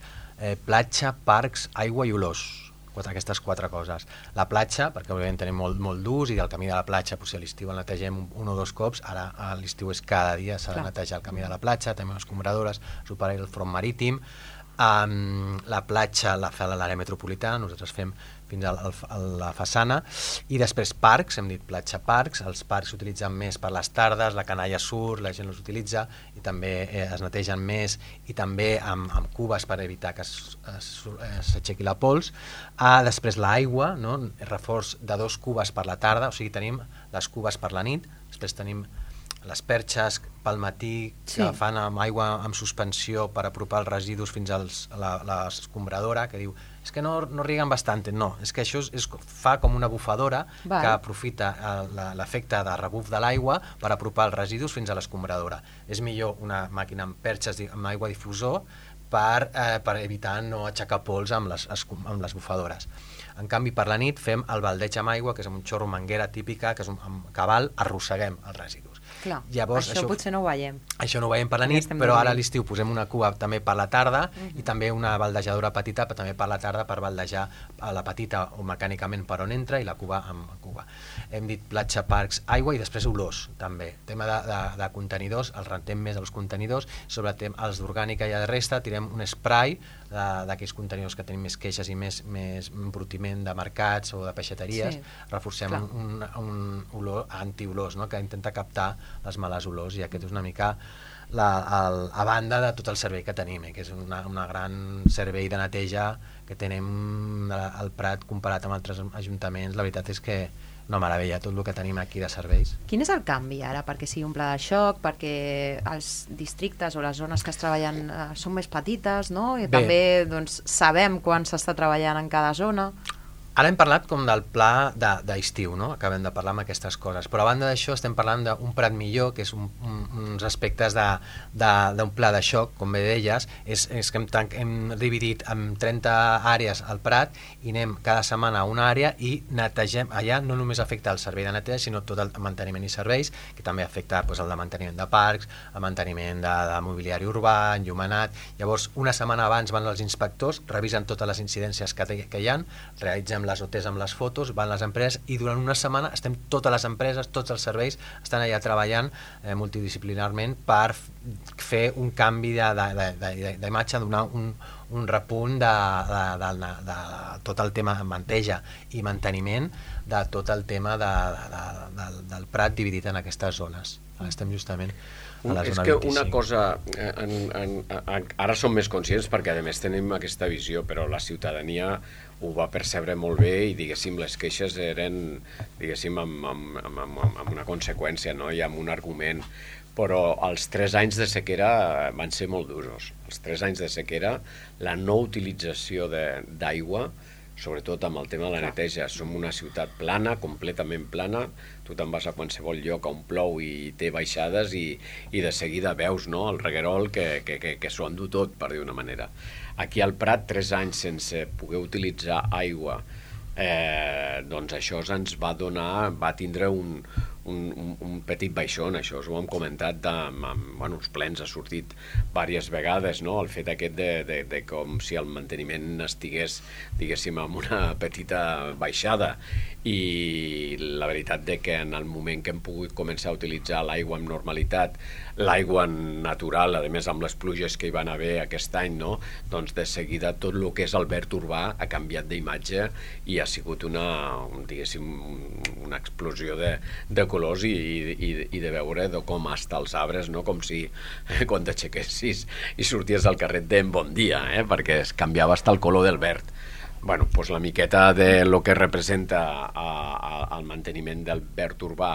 platja, parcs, aigua i olors. Aquestes 4 coses. La platja, perquè òbviament tenim molt d'ús, i el camí de la platja, si a l'estiu el netegem 1 o 2 cops, ara a l'estiu és cada dia, s'ha de netejar el camí de la platja, també les escombradores, superar el front marítim. La platja la fa l'àrea metropolitana, nosaltres fem fins a la façana, i després parcs, hem dit platja parcs, els parcs s'utilitzen més per les tardes, la canalla surt, la gent els utilitza, i també es netegen més, i també amb cubes per evitar que s'aixequi la pols. Després l'aigua, no? Reforç de 2 cubes per la tarda, o sigui, tenim les cubes per la nit, després tenim les perxes pel matí que fan amb aigua amb suspensió per apropar els residus fins a l'escombradora, que diu és que no rieguen bastant. No, és que això fa com una bufadora que aprofita l'efecte de rebuf de l'aigua per apropar els residus fins a l'escombradora. És millor una màquina amb perxes amb aigua difusor per evitar no aixecar pols amb les bufadores. En canvi, per la nit fem el baldeig amb aigua, que és amb un xorro manguera típica, que és amb cabal, arrosseguem els residus. Clar, això potser no ho veiem. Això no ho veiem per la nit, però ara a l'estiu posem una cuba també per la tarda, i també una baldejadora petita també per la tarda, per baldejar la petita o mecànicament per on entra, i la cuba amb cuba. Hem dit platja, parcs, aigua, i després olors també. Tema de contenidors, els rentem més els contenidors, sobre els d'orgànica i de resta tirem un spray d'aquells contenidors que tenim més queixes i més embrutiment de mercats o de peixateries, reforcem un olor antiolors, que intenta captar les males olors, i aquest és una mica a banda de tot el servei que tenim, que és un gran servei de neteja que tenim al Prat comparat amb altres ajuntaments. La veritat és que una meravella tot el que tenim aquí de serveis. Quin és el canvi ara perquè sigui un pla de xoc, perquè els districtes o les zones que es treballen són més petites, no? I també sabem quan s'està treballant en cada zona? Ara hem parlat com del pla d'estiu, no? Acabem de parlar amb aquestes coses, però a banda d'això estem parlant d'un Prat millor, que és uns aspectes d'un pla de xoc, com bé deies, és que hem dividit en 30 àrees al Prat, i anem cada setmana a una àrea i netegem. Allà no només afecta el servei de neteja, sinó tot el manteniment i serveis, que també afecta el de manteniment de parcs, el manteniment de mobiliari urbà, enllumenat. Llavors, una setmana abans van els inspectors, revisen totes les incidències que hi ha, realitzen amb les OTs, amb les fotos, van les empreses i durant una setmana estem totes les empreses, tots els serveis estan allà treballant multidisciplinarment per fer un canvi d'imatge, donar un repunt de tot el tema de manteja i manteniment de tot el tema del Prat dividit en aquestes zones. Estem justament a la zona 25. És que una cosa, ara som més conscients perquè a més tenim aquesta visió, però la ciutadania ho va percebre molt bé i diguéssim les queixes eren diguéssim amb una conseqüència, no? I amb un argument, però els 3 anys de sequera van ser molt durs. Els 3 anys de sequera, la no utilització d'aigua, sobretot amb el tema de la neteja. Som una ciutat plana, completament plana, tu te'n vas a qualsevol lloc on plou i té baixades i de seguida veus, no?, el reguerol que s'ho endú tot, per dir una manera. Aquí al Prat, 3 anys sense poder utilitzar aigua, doncs això ens va tindre un petit baixón, això us ho hem comentat amb uns plens, ha sortit diverses vegades, no? El fet aquest de com si el manteniment estigués, diguéssim, amb una petita baixada, i la veritat que en el moment que hem pogut començar a utilitzar l'aigua amb normalitat, l'aigua natural, a més amb les pluges que hi van haver aquest any, no? Doncs de seguida tot el que és el verd urbà ha canviat d'imatge i ha sigut diguéssim, una explosió de colors i de veure com hasta els arbres, no? Com si quan t'aixequessis i sorties al carrer de bon dia, perquè es canviava hasta el color del verd. Bueno, doncs la miqueta de lo que representa el manteniment del verd urbà,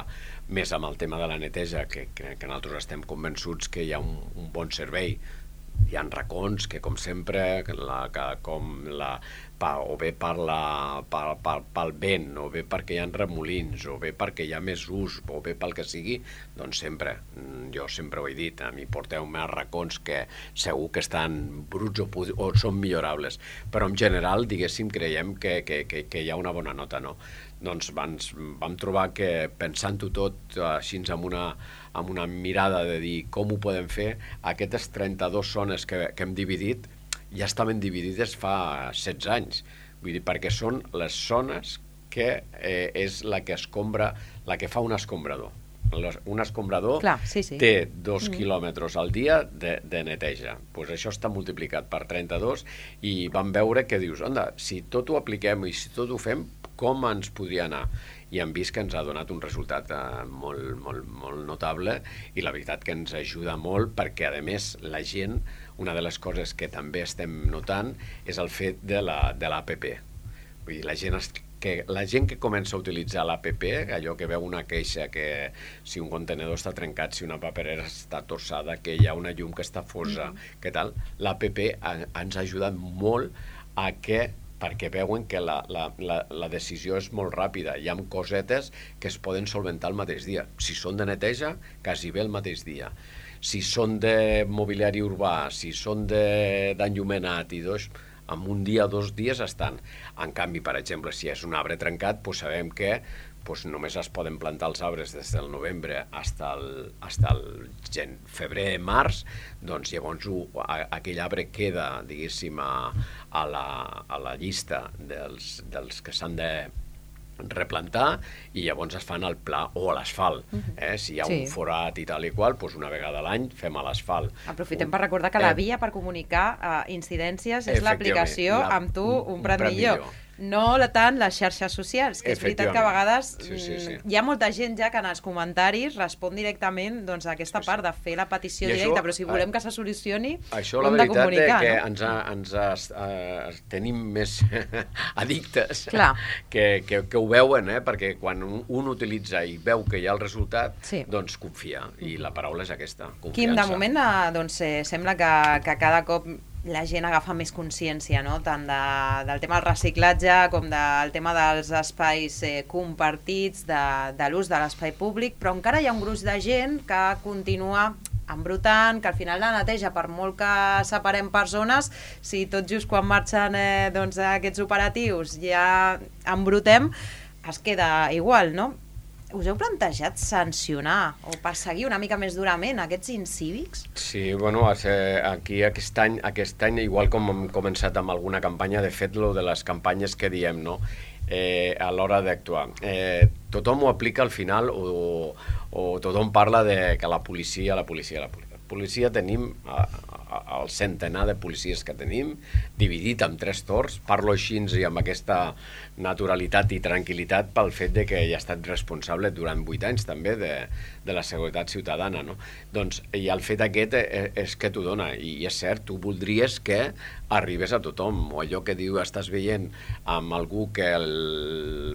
més amb el tema de la neteja, que nosaltres estem convençuts que hi ha un bon servei. Hi ha racons que, com sempre, o bé pel vent, o bé perquè hi ha remolins, o bé perquè hi ha més ús, o bé pel que sigui, doncs sempre, jo sempre ho he dit, a mi porteu-me racons que segur que estan bruts o són millorables, però en general, diguéssim, creiem que hi ha una bona nota, no? Doncs vam trobar que, pensant-ho tot així amb una mirada de dir com ho podem fer, aquestes 32 zones que hem dividit ja estaven dividides fa 16 anys. Vull dir, perquè són les zones que és la que escombra, la que fa un escombrador. Un escombrador té 2 quilòmetres al dia de neteja. Doncs això està multiplicat per 32 i vam veure que dius, onda, si tot ho apliquem i si tot ho fem, com ens podria anar? I hem vist que ens ha donat un resultat molt notable i la veritat que ens ajuda molt perquè, a més, la gent, una de les coses que també estem notant és el fet de l'APP. Vull dir, la gent que comença a utilitzar l'APP, allò que veu una queixa que si un contenedor està trencat, si una paperera està torçada, que hi ha una llum que està fosa, què tal, l'APP ens ha ajudat molt perquè veuen que la decisió és molt ràpida. Hi ha cosetes que es poden solventar el mateix dia. Si són de neteja, quasi bé el mateix dia. Si són de mobiliari urbà, si són d'enllumenat i en un dia o 2 dies estan. En canvi, per exemple, si és un arbre trencat, doncs sabem que només es poden plantar els arbres des del novembre fins al febrer-març, doncs llavors aquell arbre queda, diguéssim, a la llista dels que s'han de replantar i llavors es fan el pla o l'asfalt. Si hi ha un forat i tal i qual, doncs una vegada a l'any fem l'asfalt. Aprofitem per recordar que la via per comunicar incidències és l'aplicació amb tu un Prat millor. No tant les xarxes socials, que és veritat que a vegades hi ha molta gent ja que en els comentaris respon directament a aquesta part de fer la petició directa, però si volem que se solucioni ho hem de comunicar. Això la veritat ens tenim més addictes que ho veuen, perquè quan un utilitza i veu que hi ha el resultat, doncs confia, i la paraula és aquesta, confiança. Quim, de moment sembla que cada cop la gent agafa més consciència, no? Tant del tema del reciclatge com del tema dels espais compartits, de l'ús de l'espai públic, però encara hi ha un gruix de gent que continua embrutant, que al final la neteja, per molt que separem per zones, si tot just quan marxen aquests operatius ja embrutem, es queda igual, no? Us heu plantejat sancionar o perseguir una mica més durament aquests incívics? Sí, bueno, aquí aquest any, igual com hem començat amb alguna campanya, de fet, lo de les campanyes que diem, no? a l'hora d'actuar. Tothom ho aplica al final o tothom parla de que la policia tenim el centenar de policies que tenim, dividit en 3 torns, parlo així i amb aquesta naturalitat i tranquil·litat pel fet de que ja ha estat responsable durant 8 anys també de la seguretat ciutadana, no? Doncs, i el fet aquest és que t'ho dona, i és cert, tu voldries que arribés a tothom, o allò que diu, estàs veient amb algú que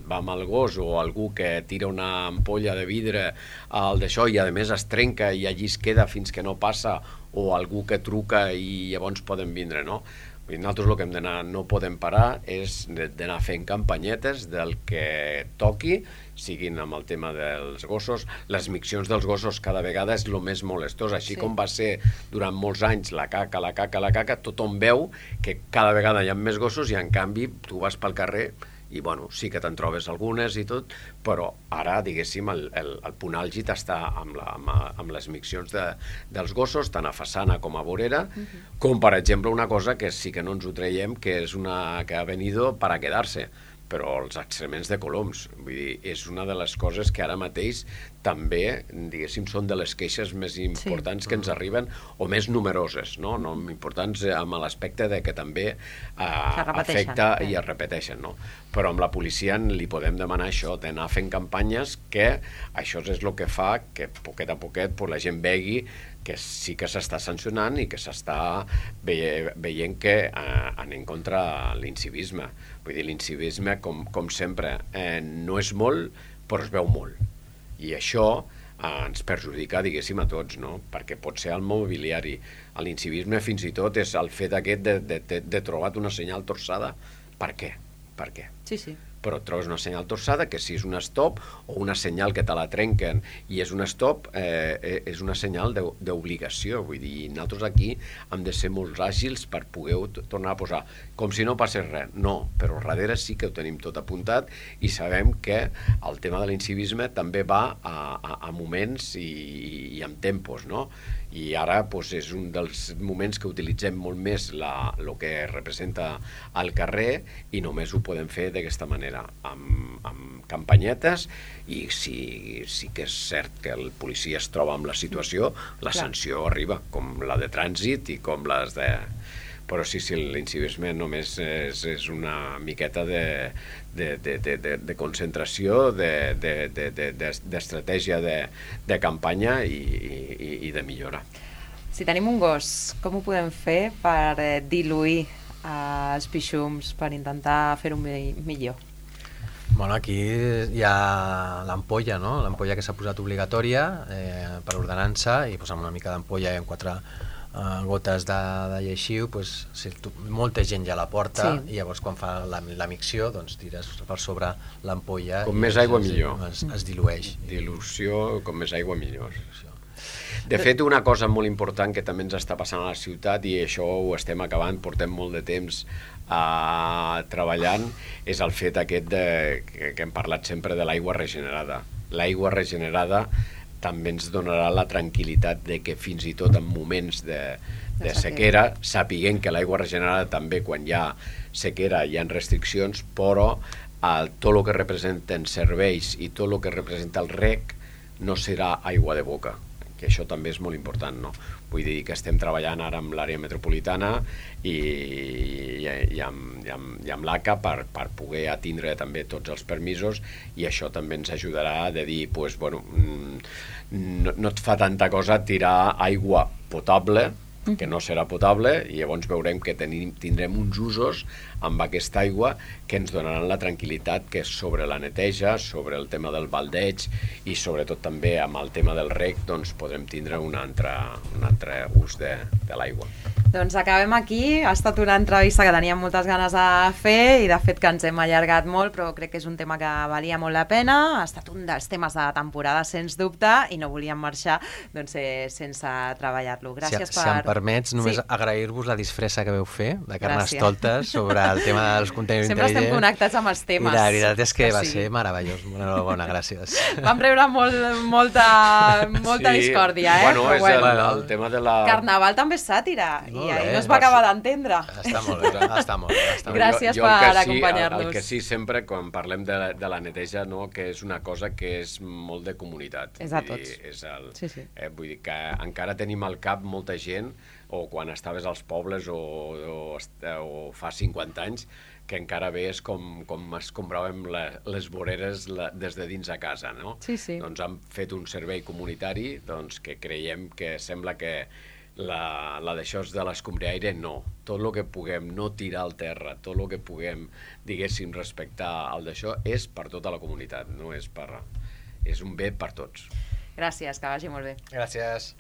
va amb el gos o algú que tira una ampolla de vidre al d'això i a més es trenca i allí es queda fins que no passa, o algú que truca i llavors poden vindre, no? Nosaltres el que hem d'anar, no podem parar, és d'anar fent campanyetes del que toqui, siguin amb el tema dels gossos. Les miccions dels gossos cada vegada és el més molestós, així com va ser durant molts anys la caca, tothom veu que cada vegada hi ha més gossos i en canvi tu vas pel carrer i bueno, sí que te'n trobes algunes i tot, però ara, diguéssim, el punt àlgid està amb les miccions dels gossos, tant a façana com a vorera, com per exemple una cosa que sí que no ens ho traiem, que és una que ha venido para quedarse, però els excrements de coloms. Vull dir, és una de les coses que ara mateix també, diguéssim, són de les queixes més importants que ens arriben, o més numeroses, no? Importants amb l'aspecte de que també afecta i es repeteixen, no? Però amb la policia li podem demanar això, d'anar fent campanyes, que això és el que fa que poquet a poquet la gent vegi que sí que s'està sancionant i que s'està veient que anem contra l'incivisme. Vull dir, l'incivisme, com sempre, no és molt, però es veu molt. I això ens perjudica, diguéssim, a tots, no? Perquè pot ser el mobiliari. L'incivisme fins i tot és el fet aquest de trobar una senyal torçada. Per què? Per què? Sí. Però et trobes una senyal torçada que si és un stop o una senyal que te la trenquen i és un stop, és una senyal d'obligació. Vull dir, nosaltres aquí hem de ser molt àgils per poder tornar a posar, com si no passés res. No, però darrere sí que ho tenim tot apuntat i sabem que el tema de l'incivisme també va a moments i amb tempos, no? I ara és un dels moments que utilitzem molt més el que representa al carrer i només ho podem fer d'aquesta manera, amb campanyetes, i sí que és cert que el policia es troba amb la situació, la sanció arriba, com la de trànsit i com les de... Però sí, l'incivisme només és una miqueta de concentració, d'estratègia de campanya i de millora. Si tenim un gos, com ho podem fer per diluir els pixums, per intentar fer-ho millor? Bueno, aquí hi ha l'ampolla, no? L'ampolla que s'ha posat obligatòria per ordenança, i amb una mica d'ampolla i amb 4 gotes de lleixiu, molta gent ja la porta, i llavors quan fa la micció tires per sobre l'ampolla. Com més aigua millor. Es dilueix. Dilució, com més aigua millor. De fet, una cosa molt important que també ens està passant a la ciutat, i això ho estem acabant, portem molt de temps treballant, és el fet aquest que hem parlat sempre de l'aigua regenerada. L'aigua regenerada també ens donarà la tranquil·litat de que fins i tot en moments de sequera, sapiguem que l'aigua regenerada també quan hi ha sequera hi ha restriccions, però tot el que representen serveis i tot el que representa el reg no serà aigua de boca, que això també és molt important, no? Vull dir que estem treballant ara amb l'àrea metropolitana i amb l'ACA per poder atindre també tots els permisos, i això també ens ajudarà de dir, no et fa tanta cosa tirar aigua potable, que no serà potable, i llavors veurem que tindrem uns usos amb aquesta aigua que ens donaran la tranquil·litat que sobre la neteja, sobre el tema del baldeig i sobretot també amb el tema del reg podrem tindre un altre ús de l'aigua. Doncs acabem aquí. Ha estat una entrevista que teníem moltes ganes de fer i de fet que ens hem allargat molt, però crec que és un tema que valia molt la pena. Ha estat un dels temes de la temporada, sens dubte, i no volíem marxar sense treballar-lo. Gràcies Si em permets, només agrair-vos la disfressa que veu fer de Carnestoltes sobre el tema dels contenidors intel·ligents. Sempre estem connectats amb els temes. I la veritat és que va ser meravellós. Enhorabona, gràcies. Vam rebre molta discòrdia, Bueno, és el tema de la... Carnaval també és sàtira. I ahir no es va acabar d'entendre. Està molt bé, està molt bé. Gràcies per acompanyar-nos. El que sí, sempre, quan parlem de la neteja, no, que és una cosa que és molt de comunitat. És de tots. Vull dir que encara tenim al cap molta gent, o quan estaves als pobles o fa 50 anys, que encara veies com es compraven les voreres des de dins a casa, no? Sí. Doncs han fet un servei comunitari que creiem que sembla que la d'això de l'escombriaire no. Tot el que puguem no tirar al terra, tot el que puguem, diguéssim, respectar el d'això, és per tota la comunitat, no és un bé per tots. Gràcies, que vagi molt bé. Gràcies.